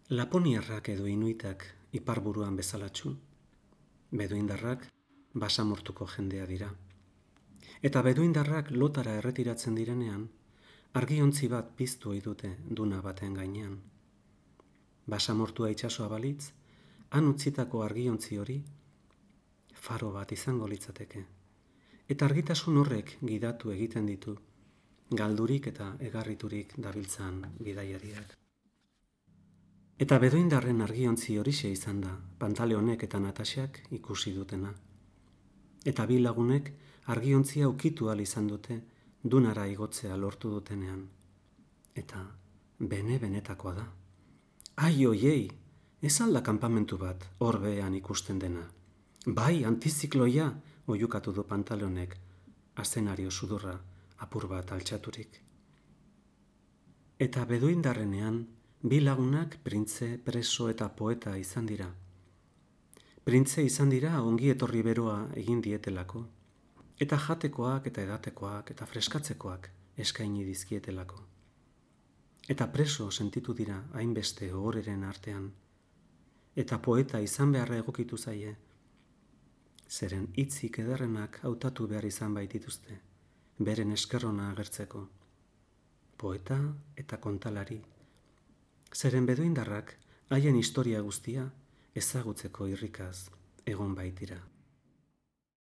Laponiarrak edo inuitak iparburuan bezalatsu, beduindarrak basamortuko jendea dira. Eta beduindarrak lotara erretiratzen direnean, argiontzi bat piztu ohi dute duna baten gainean. Basamortua itsasoa balitz, han utzitako argiontzi hori faro bat izango litzateke. Eta argitasun horrek gidatu egiten ditu, galdurik eta egarriturik dabiltzan bidaiariak. Eta beduindarren argiontzi horixe izan da, Pantaleonek eta Natasiak ikusi dutena. Eta bi lagunek argiontzia ukitu ahal izan dute dunara igotzea lortu dutenean. Eta benetakoa da. Ai oiei, ez alda kanpamentu bat hor behean ikusten dena. Bai, antizikloia, oiukatu du Pantaleonek, azenario sudurra apur bat altxaturik. Eta beduindarrenean, bi lagunak printze, preso eta poeta izan dira. Printze izan dira ongi etorri beroa egin dietelako, eta jatekoak eta edatekoak eta freskatzekoak eskaini dizkietelako. Eta preso sentitu dira hainbeste ohoreren artean, eta poeta izan beharra egokitu zaie, zeren hitzik ederrenak hautatu behar izan baitituzte, beren eskerrona agertzeko. Poeta eta kontalari, zeren beduindarrak haien historia guztia ezagutzeko irrikaz egon baitira.